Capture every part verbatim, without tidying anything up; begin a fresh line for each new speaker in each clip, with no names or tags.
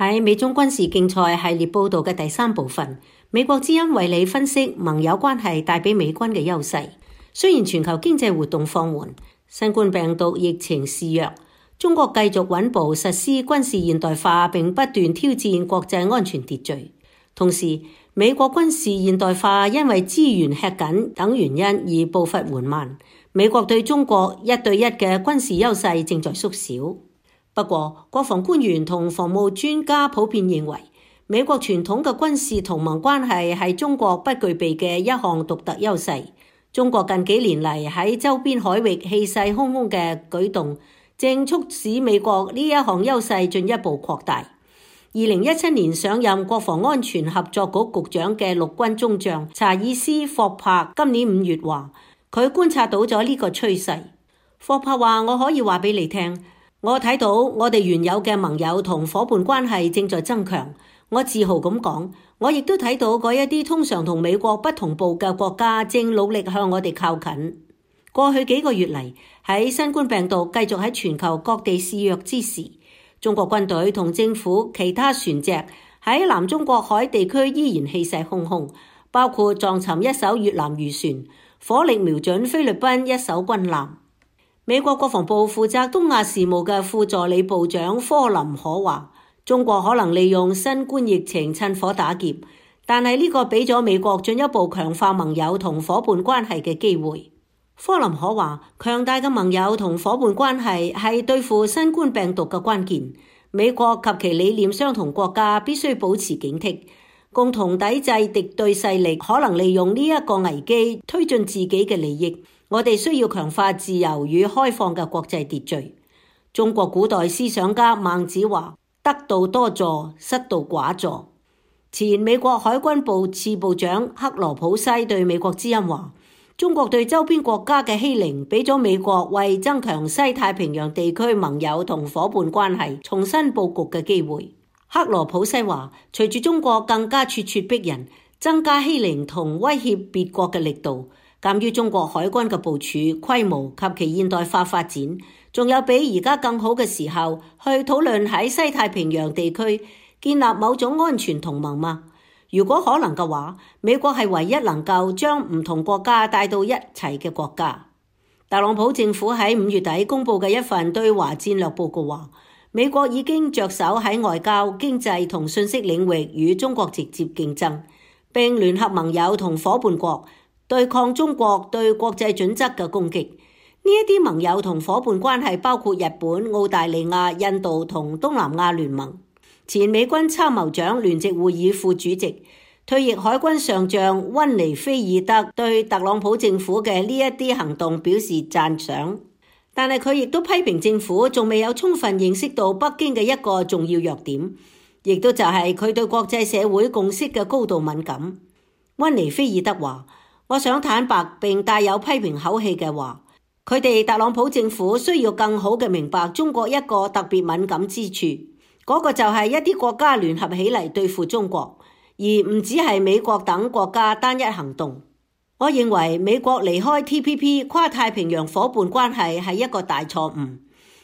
喺美中軍事競賽系列報道嘅第三部分，美國之音為你分析盟友關係帶俾美軍嘅優勢。雖然全球經濟活動放緩，新冠病毒疫情肆虐，中國繼續穩步實施軍事現代化並不斷挑戰國際安全秩序。同時，美國軍事現代化因為資源吃緊等原因而步伐緩慢。美國對中國一對一嘅軍事優勢正在縮小。不過，國防官員同防務專家普遍認為，美國傳統嘅軍事同盟關係係中國不具備嘅一項獨特優勢。中國近幾年嚟喺周邊海域氣勢洶洶嘅舉動，正促使美國呢一項優勢進一步擴大。二零一七年上任國防安全合作局局長嘅陸軍中將查爾斯·霍珀今年五月話，佢觀察到咗呢個趨勢。霍珀話：我可以話俾你聽。我睇到我哋原有嘅盟友同夥伴關係正在增強，我自豪咁講。我亦都睇到嗰一啲通常同美國不同步嘅國家正努力向我哋靠近。過去幾個月嚟，喺新冠病毒繼續喺全球各地肆虐之時，中國軍隊同政府其他船隻喺南中國海地區依然氣勢洶洶，包括撞沉一艘越南漁船，火力瞄準菲律賓一艘軍艦。美國國防部負責東亞事務嘅副助理部長科林可話，中國可能利用新冠疫情趁火打劫，但係呢個俾咗美國進一步強化盟友同夥伴關係嘅機會。科林可話，強大嘅盟友同夥伴關係係對付新冠病毒嘅關鍵。美國及其理念相同國家必須保持警惕，共同抵制敵對勢力可能利用呢一個危機推進自己嘅利益。我哋需要強化自由與開放嘅國際秩序。中國古代思想家孟子話：得道多助，失道寡助。前美國海軍部次部長克羅普西對美國之音話：中國對周邊國家嘅欺凌，俾咗美國為增強西太平洋地區盟友同夥伴關係重新佈局嘅機會。克羅普西話：隨住中國更加咄咄逼人，增加欺凌同威脅別國嘅力度，鑒於中國海軍嘅部署規模及其現代化發展，仲有比而家更好嘅時候去討論喺西太平洋地區建立某種安全同盟嗎？如果可能嘅話，美國係唯一能夠將唔同國家帶到一齊嘅國家。特朗普政府喺五月底公布嘅一份對華戰略報告話，美國已經着手喺外交、經濟同信息領域與中國直接競爭，並聯合盟友同夥伴國對抗中國對國際準則嘅攻擊。呢一啲盟友同夥伴關係包括日本、澳大利亞、印度同東南亞聯盟。前美軍參謀長聯席會議副主席、退役海軍上將溫尼菲爾德對特朗普政府嘅呢一啲行動表示讚賞，但係佢亦都批評政府仲未有充分認識到北京嘅一個重要弱點，亦都就係佢對國際社會共識嘅高度敏感。溫尼菲爾德話：我想坦白並帶有批評口氣嘅話，佢哋特朗普政府需要更好嘅明白中國一個特別敏感之處，嗰個就係一啲國家聯合起嚟對付中國，而唔只係美國等國家單一行動。我認為美國離開 T P P 跨太平洋夥伴關係係一個大錯誤。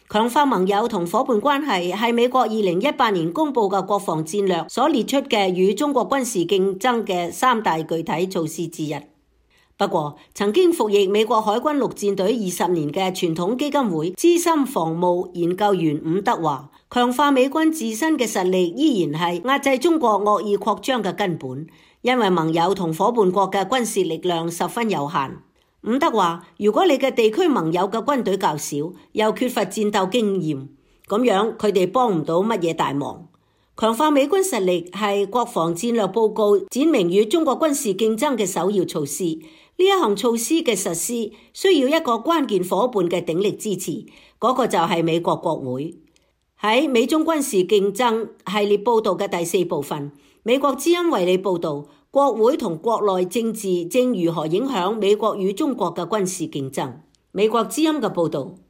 強化盟友同夥伴關係係美國二零一八年公布嘅國防戰略所列出嘅與中國軍事競爭嘅三大具體措施之一。不過，曾經服役美國海軍陸戰隊二十年嘅傳統基金會資深防務研究員伍德話，強化美軍自身嘅實力依然係壓制中國惡意擴張嘅根本，因為盟友同夥伴國嘅軍事力量十分有限。伍德話，如果你嘅地區盟友嘅軍隊較少，又缺乏戰鬥經驗，咁樣佢哋幫唔到乜嘢大忙。強化美軍實力係國防戰略報告展明與中國軍事競爭嘅首要措施。呢一項措施嘅實施需要一個關鍵夥伴嘅鼎力支持，嗰、那個就係美國國會。喺美中軍事競爭系列報道嘅第四部分，美國之音為你報道國會同國內政治正如何影響美國與中國嘅軍事競爭。美國之音嘅報道。